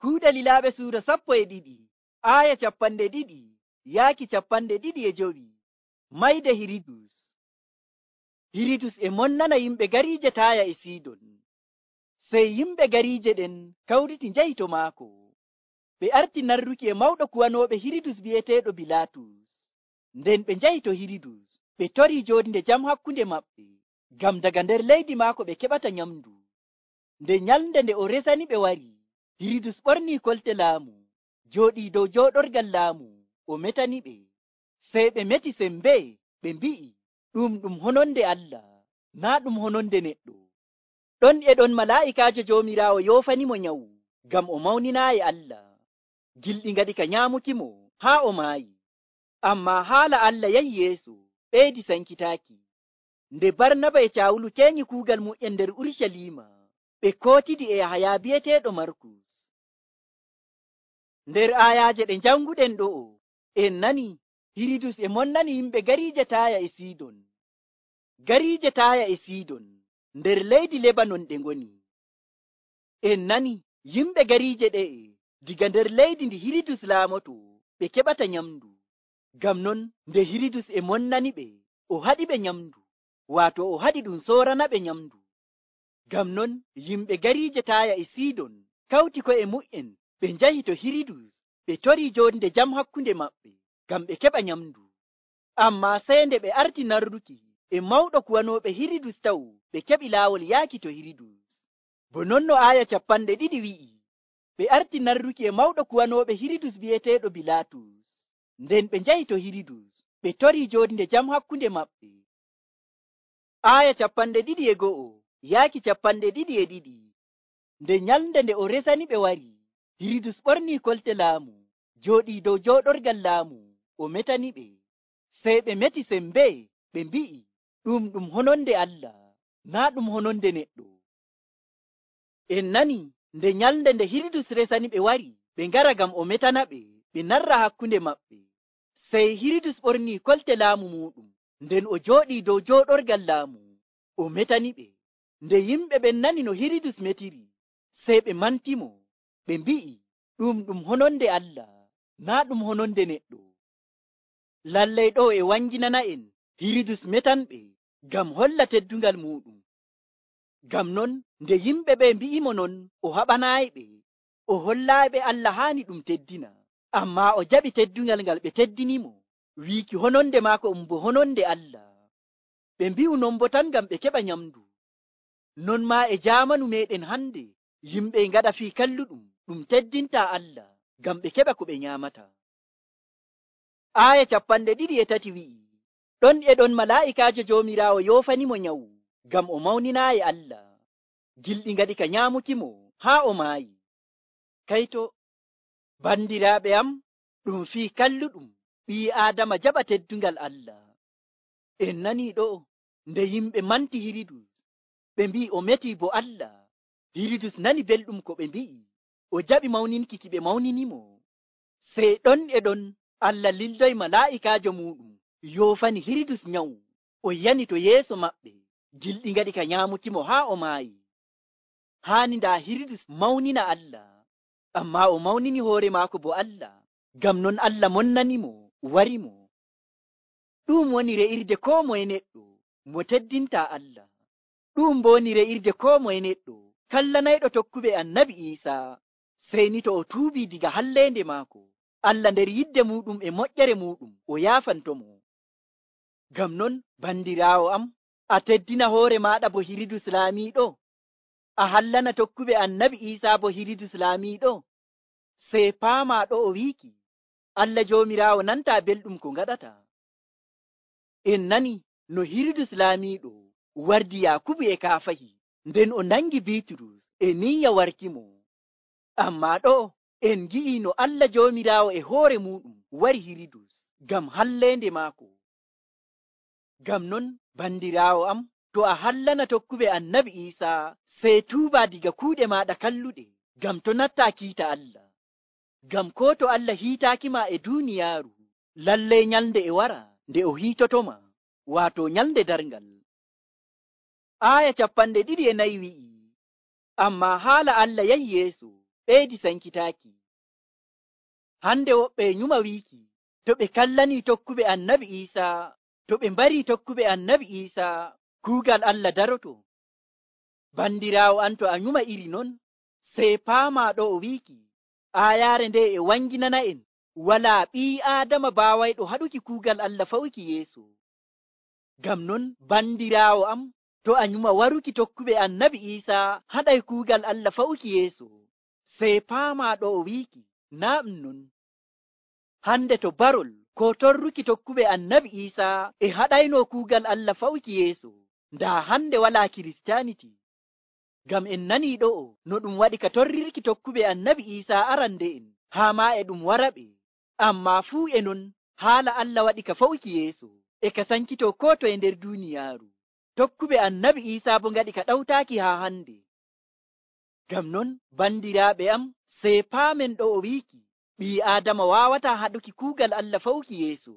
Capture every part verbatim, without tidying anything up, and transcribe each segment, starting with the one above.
Kuuɗe Lilaaɓe suura sappo e ɗiɗi, aaya capanɗe ɗiɗi yaaki capanɗe ɗiɗi e jowi. Mayde Hiridus. Hiridus e monnana yimɓe gariije Taaya e Sidon. Sey yimɓe gariije ɗen kawriti njahi to maako. Ɓe arti narruki e mawɗo kuwanooɓe Hiridus bi'eteeɗo Bilaatus. Nden ɓe njahi to Hiridus, ɓe torii joodinde jam hakkunde maɓɓe, ngam daga nder leydi maako ɓe keɓata nyamndu. Nde nyalnde nde o resani ɓe wari, Hiridus ɓornii kolte laamu, jooɗii dow jooɗorgal laamu, o metani ɓe. Sey ɓe meti sembe, ɓe mbi'i, ɗum ɗum hononde Allah, naa ɗum hononde neɗɗo. Ɗon e ɗon malaa'ikaajo Joomiraawo yoofanimo nyawu, ngam o mawninaayi Allah. Gilɗi ngaɗi ka nyaamukimo haa o maayi. Ammaa haala Allah yahi yeeso, ɓeydi sankitaaki. Nde Barnaba e Caawulu keŋi kuugal mu'en nder Urucaliima, ɓe kootidi e Yahaya bi'eteeɗo Markus. Nder aayaaje ɗe njanguɗen ɗo'o, en nani Hiridus e monnani yimɓe gariije Taaya e Sidon. Gariije Taaya e Sidon nder leydi Lebanon ɗe ngoni. En nani yimɓe gariije ɗe'e diga nder leydi ndi Hiridus laamoto ɓe keɓata nyamndu. Ngam non nde Hiridus e monnani ɓe, o haɗi ɓe nyamndu, waato o haɗi ɗum soorana ɓe nyamndu. Ngam non yimɓe gariije Taaya e Sidon kawti ko'e mu'en ɓe njahi to Hiridus, ɓe torii joonde jam hakkunde maɓɓe, ngam ɓe keɓa nyamndu. Ammaa sey nde ɓe arti narruki e mawɗo kuwanooɓe Hiridus taw ɓe keɓi laawol yaaki to Hiridus. Bo non no aaya capanɗe ɗiɗi wi'i, ɓe arti narruki e mawɗo kuwanooɓe Hiridus bi'eteeɗo Bilaatus. Nden ɓe njahi to Hiridus, ɓe torii joonde jam hakkunde maɓɓe. Aaya capanɗe ɗiɗi e go'o yaaki capanɗe ɗiɗi e ɗiɗi. Nde nyalnde nde o resani ɓe wari, Hiridus ɓornii kolte laamu, jooɗii dow jooɗorgal laamu, o metani ɓe. Sey ɓe meti sembe, ɓe mbi'i, ɗum ɗum hononde Allah, naa ɗum hononde neɗɗo. En nani nde nyalnde nde Hiridus resani ɓe wari, ɓe ngara ngam o metana ɓe, ɓe narra hakkunde maɓɓe. Sey Hiridus ɓornii kolte laamu muuɗum, nden o jooɗii dow jooɗorgal laamu, o metani ɓe. Nde yimɓe ɓen nani no Hiridus metiri, sey ɓe mantimo, ɓe mbi'i, ɗum ɗum hononde Allah, naa ɗum hononde neɗɗo. Lallay ɗo e wanginana en Hiridus metanɓe ngam holla teddungal muɗum. Ngam non nde yimɓe ɓe mbi'imo non, o haɓanaayiɓe, o hollaayiɓe Allah haani ɗum teddina. Ammaa o jaɓi teddungal ngal ɓe teddinimo, wiiki hononde maako um bo hononde Allah. Ɓe mbi'u non bo tan ngam ɓe keɓa nyamndu. Non maa e jaamanu meɗen hande, yimɓe ngaɗa fii kalluɗum ɗum teddintaa Allah, ngam ɓe keɓa ko ɓe nyaamata. Aaya capanɗe ɗiɗi e tati wi'i, ɗon e ɗon malaa'ikaajo Joomiraawo yoofanimo nyawu, ngam o mawninaayi Allah. Gilɗi ngaɗi ka nyaamukimo haa o maayi. Kayto, bandiraaɓe am, ɗum fii kalluɗum ɓii Aadama jaɓa teddungal Allah. En nanii ɗo nde yimɓe manti Hiridus, ɓe mbi'i o metii bo Allah. Hiridus nani belɗum ko ɓe mbi'i, o jaɓi mawninki ki ɓe mawninimo. Sey ɗon e ɗon Allah lildoy malaa'ikaajo muɗum yoofani Hiridus nyawu, o yani to yeeso maɓɓe, gilɗi ngaɗi ka nyaamukimo haa o maayi. Haani ndaa Hiridus mawnina Allah, ammaa o mawnini hoore maako bo Allah, ngam non Allah monnanimo, warimo. Ɗum woni re'irde koo moye neɗɗo mo teddintaa Allah. Ɗum bo woni re'irde koo moye neɗɗo kallanayɗo tokkuɓe Annabi Iisaa, sey ni to o tuubii diga halleende maako, Allah nder yidde muɗum e moƴƴere muɗum o yaafantomo. Ngam non bandiraawo am, a teddina hoore maaɗa bo Hiridus laamiiɗo, a hallana tokkuɓe Annabi Iisaa bo Hiridus laamiiɗo. Sey paamaa ɗo o wiiki, Allah Joomiraawo nantaa belɗum ko ngaɗata. En nani no Hiridus laamiiɗo wardi Yaakubu e kaafahi, nden o nangi Biiturus e niyya warkimo. Ammaa ɗo en ngi'ii no Allah Joomiraawo e hoore muɗum wari Hiridus ngam halleende maako. Ngam non bandiraawo am, to a hallana tokkuɓe Annabi Iisaa, sey tuubaa diga kuuɗe maaɗa kalluɗe, ngam to nattaa kiita Allah. Ngam koo to Allah hiitaakima e duuniyaaru, lallay nyalnde e wara nde o hiitotoma, waato nyalnde darngal. Aaya capanɗe ɗiɗi e nayi wi'i, ammaa haala Allah yahi yeeso, ɓeydi sankitaaki. Hande woɓɓe nyuma wiiki, to ɓe kallanii tokkuɓe annabi Iisaa, to ɓe mbarii tokkuɓe annabi Iisaa, kuugal Allah daroto. Bandiraawo an, to a nyuma iri non, sey paamaa ɗo o wiiki, aayaare nde e wanginana'en walaa ɓii Aadama baawayɗo haɗuki kuugal Allah fawuki yeeso. Ngam non, bandiraawo am, to a nyuma waruki tokkuɓe annabi Iisaa haɗay kuugal Allah fawuki yeeso, sey paamaa ɗo o wiiki, naa ɗum non. Hande to barol ko torruki tokkuɓe annabi Iisaa e haɗayno kuugal Allah fawuki yeeso, ndaa hande walaa Kiristaaniti. Ngam en nanii ɗo'o no ɗum waɗi ka torrirki tokkuɓe annabi Iisaa arande'en, haa maa e ɗum waraɓe. Ammaa fuu e non, haala Allah waɗi ka fawuki yeeso, e ka sankitoo koo toye nder duuniyaaru. Tokkuɓe annabi Iisaa bo ngaɗi ka ɗawtaaki haa hande. Ngam non, bandiraaɓe am, sey paamen ɗo o wiiki, ɓii Aadama waawataa haɗuki kuugal Allah fawuki yeeso.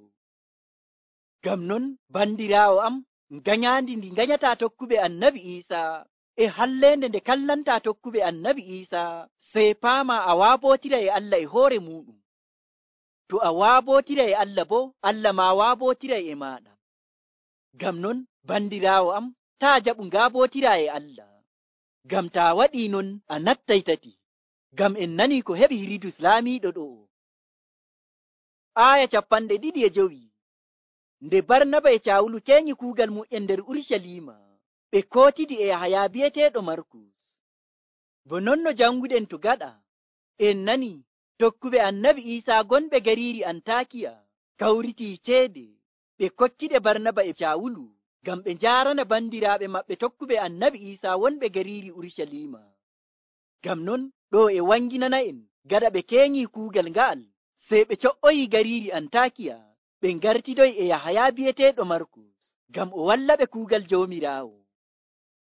Ngam non, bandiraawo am, ngañaandi ndi ngañataa tokkuɓe annabi Iisaa, e halleende nde kallantaa tokkuɓe annabi Iisaa, sey paamaa a waabootira e Allah e hoore muuɗum. To a waabootira e Allah boo, Allah maa waabootira e maaɗa. Ngam non, bandiraawo am, taa jaɓu ngaabootira e Allah. Ngam taa waɗii non, a nattay tati. Ngam en nanii ko heɓi Hiridus laamiiɗo ɗo'o. Aaya capanɗe ɗiɗi e jowi. Nde Barnaba e Caawulu keñi kuugal mu'en nder Urucaliima, ɓe kootidi e Yahaya bi'eteeɗo Markus. Bo non no janguɗen to gaɗa, en nani tokkuɓe annabi Iisaa gonɓe gariiri Antaakiya kawritii ceede ɓe kokkiɗe Barnaba e Caawulu ngam ɓe njaarana bandiraaɓe maɓɓe tokkuɓe annabi Iisaa wonɓe gariiri Urucaliima. Ngam non ɗo e wanginana'en gaɗa ɓe keñii kuugal nga'al, sey ɓe co'oyii gariiri Antaakiya ɓe ngartidoyi e Yahaya bi'eteeɗo Markus ngam o walla ɓe kuugal Joomiraawo.